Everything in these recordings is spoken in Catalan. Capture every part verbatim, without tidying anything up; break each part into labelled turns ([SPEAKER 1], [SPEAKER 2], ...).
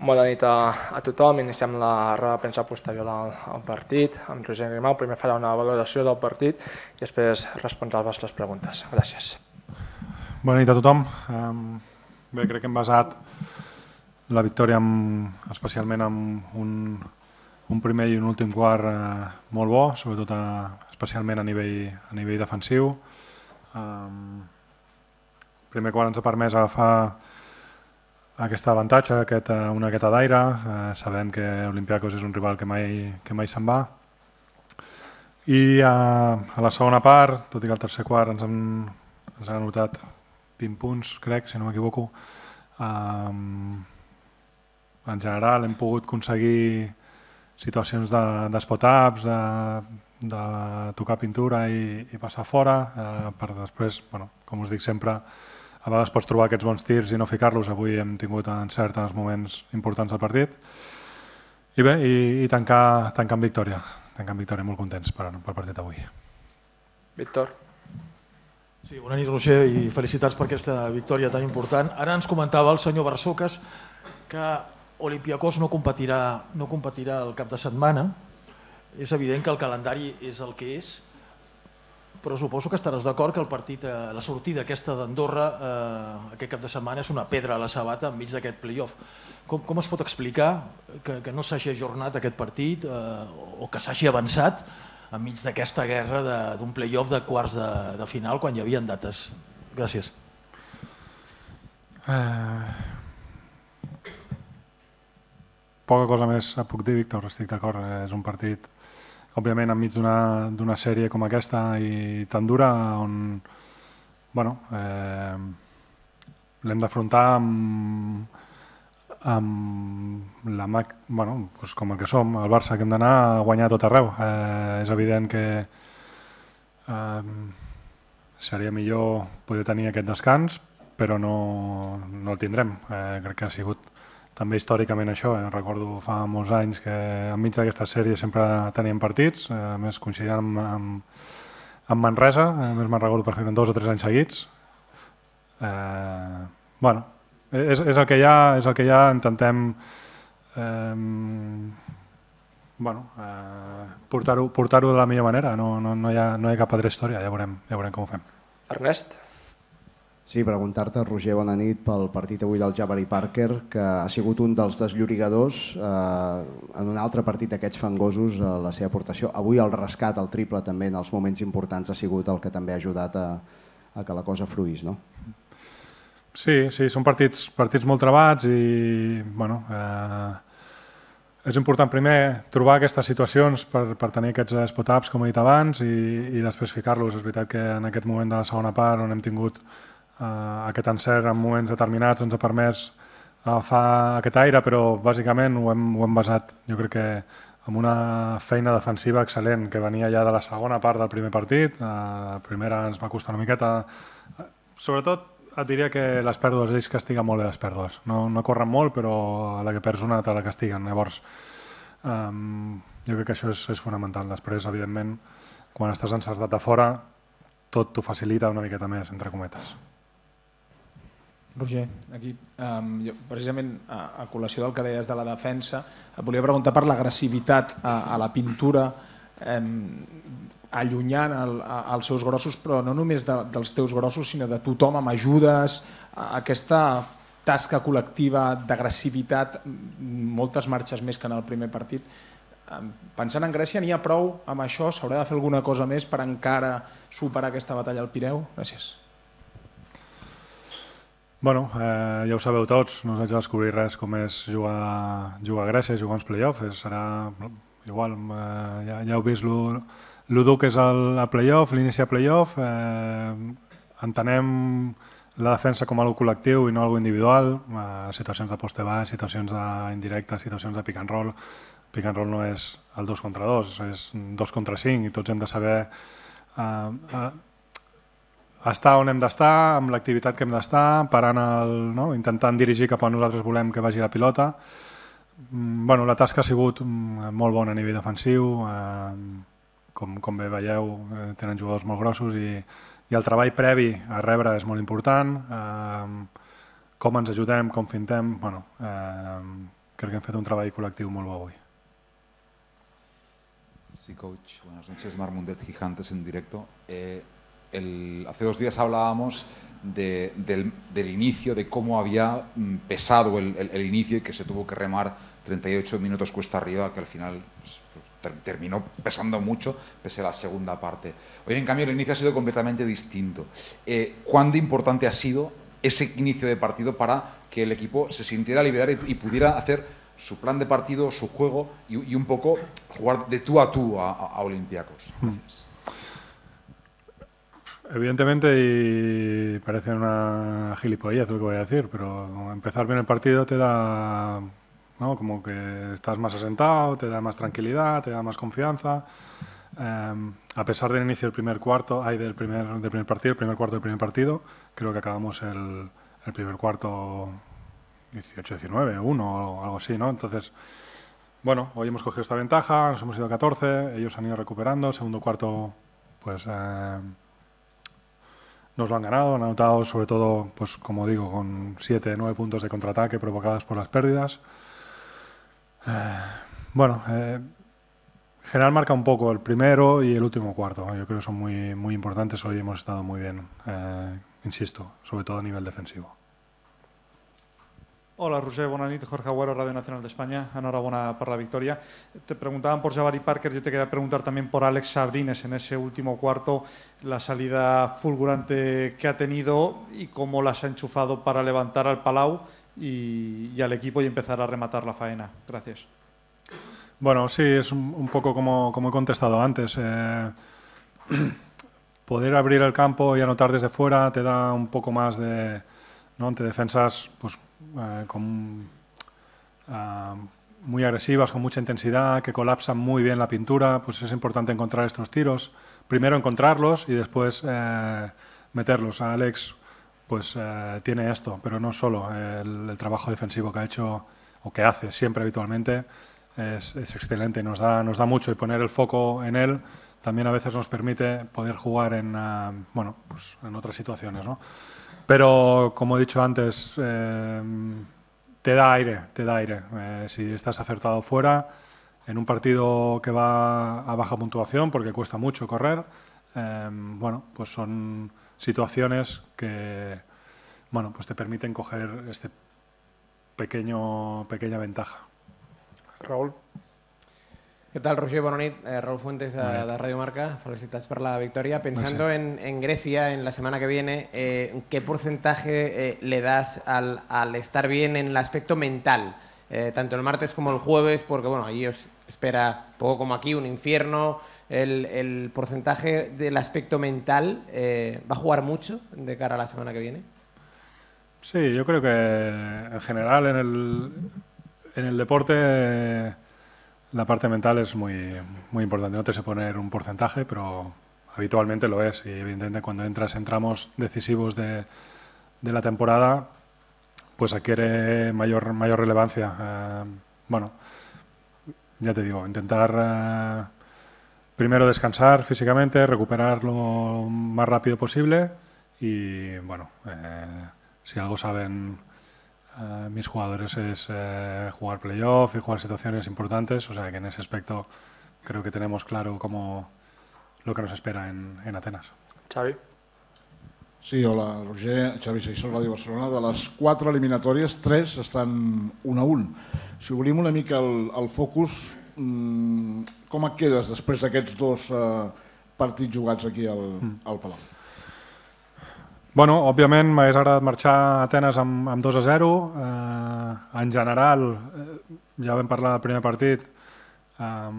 [SPEAKER 1] Bona nit a tothom. Iniciem la roda de premsa posterior al partit. Amb Roger Grimau primer farà una valoració del partit i després respondrà les vostres preguntes. Gràcies.
[SPEAKER 2] Bona nit a tothom. Bé, crec que hem basat la victòria especialment en un primer i un últim quart molt bo, sobretot especialment a nivell defensiu. El primer quart ens ha permès agafar aquest avantatge, una gueta d'aire, sabent que Olympiacos és un rival que mai se'n va. I a la segona part, tot i que al tercer quart ens han anotat vint punts, crec, si no m'equivoco, en general hem pogut aconseguir situacions d'espot-ups, de tocar pintura i passar fora, per després, com us dic sempre, a vegades pots trobar aquests bons tirs i no ficar-los. Avui hem tingut encert en els moments importants del partit. I bé, i tancar amb victòria. Tancar amb victòria, molt contents pel partit d'avui.
[SPEAKER 1] Víctor.
[SPEAKER 3] Sí, bona nit, Roger, i felicitats per aquesta victòria tan important. Ara ens comentava el senyor Barçocas que Olympiacos no competirà el cap de setmana. És evident que el calendari és el que és, però suposo que estaràs d'acord que el partit, la sortida aquesta d'Andorra aquest cap de setmana és una pedra a la sabata enmig d'aquest play-off. Com es pot explicar que no s'hagi ajornat aquest partit o que s'hagi avançat enmig d'aquesta guerra d'un play-off de quarts de final quan hi havia dates? Gràcies.
[SPEAKER 2] Poca cosa més puc dir, Víctor, estic d'acord. És un partit òbviament enmig d'una sèrie com aquesta i tan dura on l'hem d'afrontar com el que som, el Barça, que hem d'anar a guanyar tot arreu. És evident que seria millor poder tenir aquest descans, però no el tindrem. Crec que ha sigut també històricament això. Recordo fa molts anys que enmig d'aquesta sèrie sempre teníem partits, a més coincidint amb Manresa, a més me'n recordo perfectament dos o tres anys seguits. Bé, és el que hi ha, és el que hi ha, intentem portar-ho de la millor manera, no hi ha cap altra història, ja veurem com ho fem.
[SPEAKER 1] Ernest?
[SPEAKER 4] Sí, preguntar-te, Roger, bona nit, pel partit avui del Jabari Parker, que ha sigut un dels desllorigadors en un altre partit d'aquests fangosos, la seva aportació. Avui el rescat, el triple, també en els moments importants ha sigut el que també ha ajudat a que la cosa fruís, no?
[SPEAKER 2] Sí, sí, són partits molt trebats i és important primer trobar aquestes situacions per tenir aquests spot-ups, com he dit abans, i després ficar-los. És veritat que en aquest moment de la segona part on hem tingut aquest encert en moments determinats ens ha permès agafar aquest aire, però bàsicament ho hem basat, jo crec que amb una feina defensiva excel·lent que venia ja de la segona part del primer partit. La primera ens va costar una miqueta. Sobretot et diria que les pèrdues, ells castiguen molt bé les pèrdues. No corren molt, però a la que perds una te la castiguen. Llavors, jo crec que això és fonamental. Després, evidentment, quan estàs encertat de fora, tot t'ho facilita una miqueta més, entre cometes.
[SPEAKER 5] Roger, aquí, precisament a col·lació del que deies de la defensa, et volia preguntar per l'agressivitat a la pintura, allunyant els seus grossos, però no només dels teus grossos, sinó de tothom amb ajudes, aquesta tasca col·lectiva d'agressivitat, moltes marxes més que en el primer partit. Pensant en Grècia, n'hi ha prou amb això? S'haurà de fer alguna cosa més per encara superar aquesta batalla al Pireu? Gràcies.
[SPEAKER 2] Bueno, ja ho sabeu tots, no us haig de descobrir res com és jugar a Grècia, jugar uns play-offs, serà igual, ja heu vist lo dur que és el play-off, l'inici de play-off, entenem la defensa com a algo col·lectiu i no algo individual, situacions de poste baix, situacions indirectes, situacions de pick and roll. Pick and roll no és el dos contra dos, és dos contra cinc i tots hem de saber estar on hem d'estar, amb l'activitat que hem d'estar, intentant dirigir cap on nosaltres volem que vagi la pilota. La tasca ha sigut molt bona a nivell defensiu, com bé veieu, tenen jugadors molt grossos i el treball previ a rebre és molt important, com ens ajudem, com fintem, crec que hem fet un treball col·lectiu molt bo avui.
[SPEAKER 6] Sí, coach. Buenas noches, Marc Mundet, Gigantes en directo. Eh, el, hace dos días hablábamos de, del, del inicio, de cómo había pesado el, el, el inicio y que se tuvo que remar treinta y ocho minutos cuesta arriba, que al final pues, ter, terminó pesando mucho, pese a la segunda parte. Hoy, en cambio, el inicio ha sido completamente distinto. Eh, ¿Cuán de importante ha sido ese inicio de partido para que el equipo se sintiera liberado y, y pudiera hacer su plan de partido, su juego y, y un poco jugar de tú a tú a, a Olympiacos? Gracias.
[SPEAKER 2] Evidentemente, y parece una gilipollez lo que voy a decir, pero empezar bien el partido te da, ¿no?, como que estás más asentado, te da más tranquilidad, te da más confianza. Eh, a pesar del inicio del primer cuarto, hay del primer, del primer partido, el primer cuarto del primer partido, creo que acabamos el, el primer cuarto dieciocho diecinueve, uno o algo así, ¿no? Entonces, bueno, hoy hemos cogido esta ventaja, nos hemos ido a catorce, ellos han ido recuperando, el segundo cuarto, pues eh, nos lo han ganado, han anotado sobre todo, pues como digo, con siete, nueve puntos de contraataque provocados por las pérdidas. Eh, bueno, eh, en general marca un poco el primero y el último cuarto, yo creo que son muy, muy importantes, hoy hemos estado muy bien, eh, insisto, sobre todo a nivel defensivo.
[SPEAKER 7] Hola, Roger, bona nit. Jorge Agüero, Radio Nacional de España. Enhorabuena por la victoria. Te preguntaban por Jabari Parker, yo te quería preguntar también por Alex Sabrines en ese último cuarto, la salida fulgurante que ha tenido y cómo las ha enchufado para levantar al Palau y, y al equipo y empezar a rematar la faena. Gracias.
[SPEAKER 2] Bueno, sí, es un, un poco como, como he contestado antes. Eh, poder abrir el campo y anotar desde fuera te da un poco más de, ¿no?, ante defensas pues, eh, con, uh, muy agresivas, con mucha intensidad, que colapsan muy bien la pintura, pues es importante encontrar estos tiros. Primero encontrarlos y después eh, meterlos. A Alex pues eh, tiene esto, pero no solo. El, el trabajo defensivo que ha hecho o que hace siempre habitualmente es, es excelente, nos da, nos da mucho, y poner el foco en él también a veces nos permite poder jugar en, uh, bueno, pues en otras situaciones, ¿no? Pero, como he dicho antes, eh, te da aire, te da aire. Eh, si estás acertado fuera, en un partido que va a baja puntuación, porque cuesta mucho correr, eh, bueno, pues son situaciones que, bueno, pues te permiten coger este pequeño, pequeña ventaja.
[SPEAKER 1] Raúl.
[SPEAKER 8] ¿Qué tal, Roger? Bona nit. Eh, Raúl Fuentes, de, de Radio Marca. Felicitats por la victoria. Pensando en, en Grecia, en la semana que viene, eh, ¿qué porcentaje eh, le das al, al estar bien en el aspecto mental? Eh, tanto el martes como el jueves, porque bueno, allí os espera, poco como aquí, un infierno. El, el porcentaje del aspecto mental eh, va a jugar mucho de cara a la semana que viene.
[SPEAKER 2] Sí, yo creo que en general en el, en el deporte la parte mental es muy, muy importante. No te sé poner un porcentaje, pero habitualmente lo es. Y evidentemente cuando entras en tramos decisivos de, de la temporada, pues adquiere mayor, mayor relevancia. Eh, bueno, ya te digo, intentar eh, primero descansar físicamente, recuperar lo más rápido posible y, bueno, eh, si algo saben Uh, mis jugadores es uh, jugar playoff y jugar situaciones importantes, o sea que en ese aspecto creo que tenemos claro cómo, lo que nos espera en, en Atenas.
[SPEAKER 1] Xavi.
[SPEAKER 9] Sí, hola, Roger, Xavi Seixó, Ràdio Barcelona. De les quatre eliminatòries, tres estan un a un. Si obrim una mica el, el focus, mmm, com et quedes després d'aquests dos uh, partits jugats aquí al, mm. al Palau?
[SPEAKER 2] Bueno, òbviament m'hagués agradat marxar a Atenes amb, amb dos a zero. Eh, en general, eh, ja vam parlar del primer partit, eh,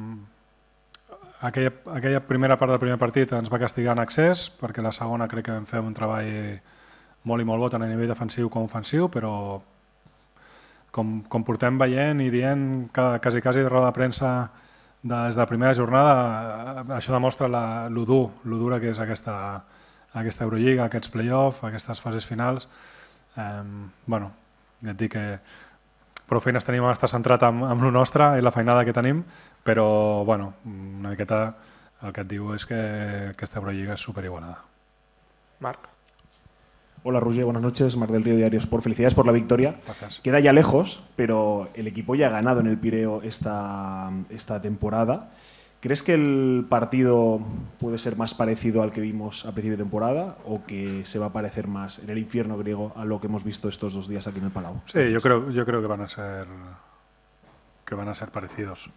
[SPEAKER 2] aquella, aquella primera part del primer partit ens va castigar en accés, perquè la segona crec que vam fer un treball molt i molt bo, tant a nivell defensiu com ofensiu, però com, com portem veient i dient quasi, quasi de roda de premsa des de la primera jornada, això demostra la, lo dur, lo dura que és aquesta aquesta Eurolliga, aquests play-off, aquestes fases finals. Eh, bueno, ja et dic que prou feines tenim a estar centrat amb, amb el nostre i la feinada que tenim, però bueno, una miqueta el que et diu és que aquesta Eurolliga és superigualada.
[SPEAKER 1] Marc.
[SPEAKER 10] Hola Roger, buenas noches. Mar del Río, Diario Sport. Felicidades por la victoria.
[SPEAKER 2] Gracias.
[SPEAKER 10] Queda ya lejos, pero el equipo ya ha ganado en el Pireo esta, esta temporada. ¿Crees que el partido puede ser más parecido al que vimos a principio de temporada o que se va a parecer más en el infierno griego a lo que hemos visto estos dos días aquí en el Palau?
[SPEAKER 2] Sí, yo creo, yo creo que van a ser que van a ser parecidos.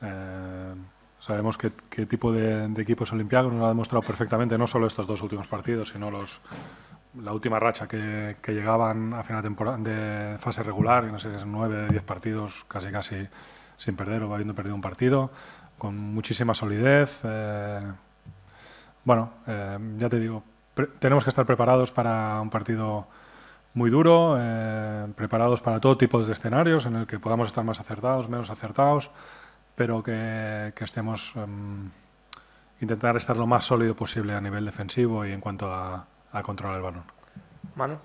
[SPEAKER 2] Eh, sabemos qué, qué tipo de, de equipos olímpicos nos lo ha demostrado perfectamente, no solo estos dos últimos partidos, sino los la última racha que, que llegaban a final de, temporada, de fase regular, que no sé, nueve, diez partidos casi casi sin perder o habiendo perdido un partido, con muchísima solidez. Eh, bueno, eh, ya te digo, tenemos que estar preparados para un partido muy duro, eh, preparados para todo tipo de escenarios en el que podamos estar más acertados, menos acertados, pero que, que estemos eh, intentar estar lo más sólido posible a nivel defensivo y en cuanto a, a controlar el balón.
[SPEAKER 1] Manu.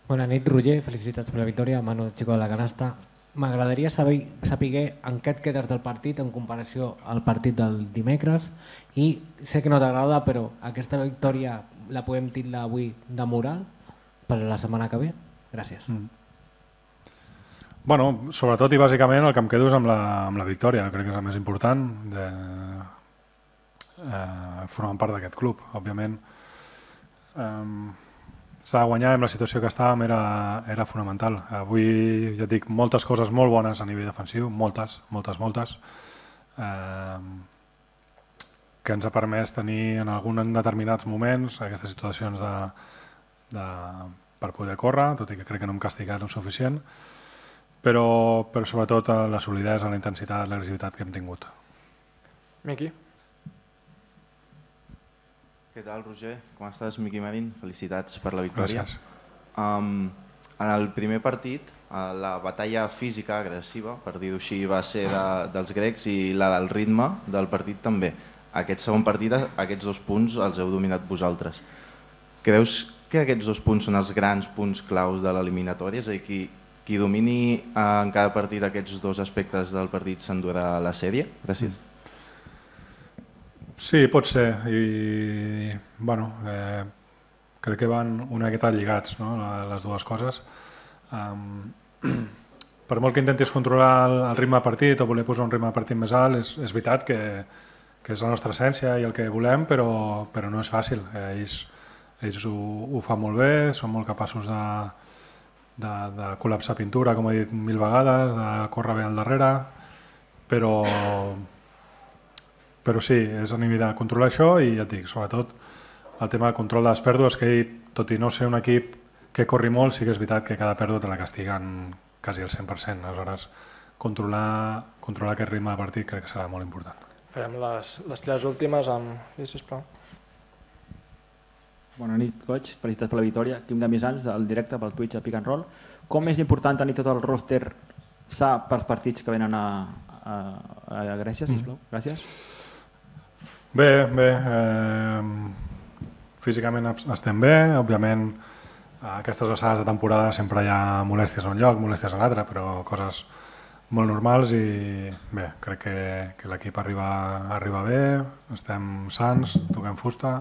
[SPEAKER 11] Bona nit, Roger. Felicitats per la victòria. Manu, Chico de la Canasta. M'agradaria saber, saber en què et quedes del partit en comparació al partit del dimecres i sé que no t'agrada, però aquesta victòria la podem titlar avui de moral per la setmana que ve? Gràcies. Mm.
[SPEAKER 2] Bueno, sobretot i bàsicament el que em quedo és amb la, amb la victòria. Crec que és el més important de eh, formar part d'aquest club. Òbviament, eh, s'ha de guanyar, amb la situació que estàvem era, era fonamental. Avui, ja et dic, moltes coses molt bones a nivell defensiu, moltes, moltes, moltes, eh, que ens ha permès tenir en alguns determinats moments aquestes situacions de, de, per poder córrer, tot i que crec que no hem castigat el suficient, però, però sobretot la solidesa, la intensitat, l'agressivitat que hem tingut.
[SPEAKER 1] Miqui.
[SPEAKER 12] Què tal, Roger? Com estàs? Miqui Marín, felicitats per la victòria.
[SPEAKER 2] Gràcies.
[SPEAKER 12] Um, en el primer partit, la batalla física agressiva, per dir-ho així, va ser de, dels grecs i la del ritme del partit també. Aquest segon partit, aquests dos punts els heu dominat vosaltres. Creus que aquests dos punts són els grans punts claus de l'eliminatòria? És a dir, qui, qui domini en cada partit aquests dos aspectes del partit s'endurà la sèrie? Gràcies.
[SPEAKER 2] Sí, pot ser. I, bueno, eh, crec que van una miqueta lligats, no?, les dues coses. Um, per molt que intentis controlar el, el ritme de partit o voler posar un ritme de partit més alt, és, és veritat que, que és la nostra essència i el que volem, però, però no és fàcil. Ells, ells ho, ho fan molt bé, són molt capaços de, de, de col·lapsar pintura, com he dit mil vegades, de córrer bé al darrere, però... Però sí, és a nivell de controlar això i ja et dic, sobretot el tema del control de les pèrdues, que tot i no ser un equip que corri molt, sí que és veritat que cada pèrdua te la castiguen quasi al cent per cent. Aleshores, controlar, controlar aquest ritme de partit crec que serà molt important.
[SPEAKER 1] Farem les, les tres últimes amb... Sí, sisplau.
[SPEAKER 13] Bona nit, coach. Felicitats per la victòria. Quim Gamisans, del directe pel Twitch a Pick and Roll. Com és important tenir tot el roster sa pels partits que venen a, a, a Grècia, sisplau? Gràcies.
[SPEAKER 2] Bé, bé, eh, físicament estem bé, òbviament a aquestes alçades de temporada sempre hi ha molèsties a un lloc, molèsties a l'altre, però coses molt normals i bé, crec que, que l'equip arriba, arriba bé, estem sants, toquem fusta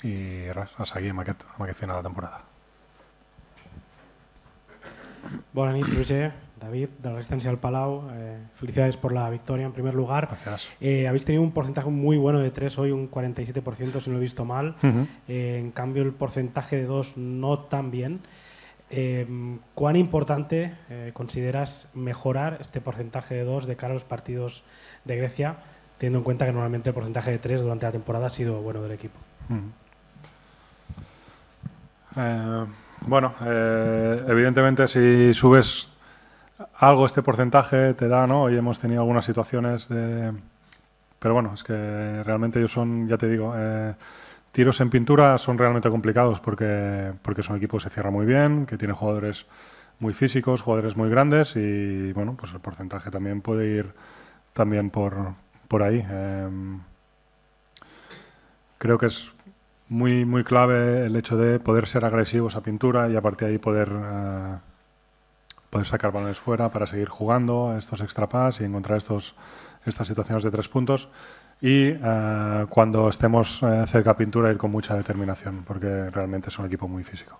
[SPEAKER 2] i res, a seguir amb aquest, amb aquest final de temporada.
[SPEAKER 14] Bona nit, Roger. David, de la Resistencia del Palau, eh, felicidades por la victoria en primer lugar.
[SPEAKER 2] Gracias.
[SPEAKER 14] Eh, habéis tenido un porcentaje muy bueno de tres hoy, un cuarenta y siete por ciento si no lo he visto mal. Uh-huh. eh, en cambio el porcentaje de dos no tan bien. Eh, ¿Cuán importante eh, consideras mejorar este porcentaje de dos de cara a los partidos de Grecia, teniendo en cuenta que normalmente el porcentaje de tres durante la temporada ha sido bueno del equipo?
[SPEAKER 2] Uh-huh. eh, bueno, eh, evidentemente si subes algo este porcentaje te da, ¿no? Hoy hemos tenido algunas situaciones de... Pero bueno, es que realmente ellos son, ya te digo, eh, tiros en pintura son realmente complicados porque, porque son equipos que se cierran muy bien, que tienen jugadores muy físicos, jugadores muy grandes y bueno, pues el porcentaje también puede ir también por, por ahí. Eh, creo que es muy, muy clave el hecho de poder ser agresivos a pintura y a partir de ahí poder... Eh, poder poder sacar balones fuera para seguir jugando estos extrapas y encontrar estos, estas situaciones de tres puntos. Y eh, cuando estemos eh, cerca a pintura, ir con mucha determinación, porque realmente es un equipo muy físico.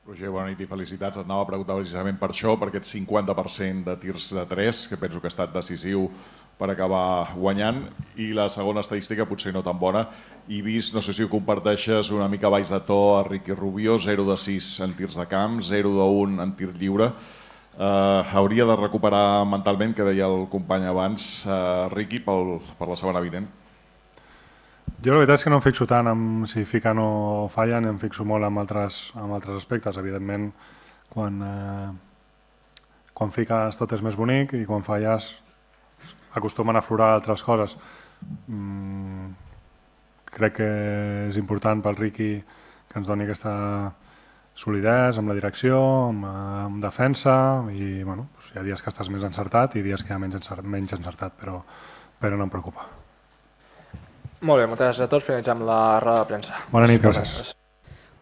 [SPEAKER 15] Roger, bona nit i felicitats. Et anava a preguntar precisament per això, per aquest cinquanta per cent de tirs de tres, que penso que ha estat decisiu per acabar guanyant, i la segona estadística potser no tan bona, i vist, no sé si ho comparteixes, una mica baix de to a Ricky Rubio, zero de sis en tirs de camp, zero de un en tir lliure. Uh, hauria de recuperar mentalment, que deia el company abans, uh, Ricky, pel, per la setmana vinent.
[SPEAKER 2] Jo la veritat és que no em fixo tant en si fiquen o fallen, em fixo molt en altres, en altres aspectes. Evidentment, quan, eh, quan fiques tot és més bonic i quan falles acostumen a aflorar altres coses. Mm, crec que és important pel Ricky que ens doni aquesta solidesa amb la direcció, amb, amb defensa, i bueno, doncs hi ha dies que estàs més encertat i dies que hi ha menys, encert, menys encertat, però, però no em preocupa.
[SPEAKER 1] Molt bé, moltes gràcies a tots. Finalitzem la roda de premsa.
[SPEAKER 2] Bona nit, gràcies.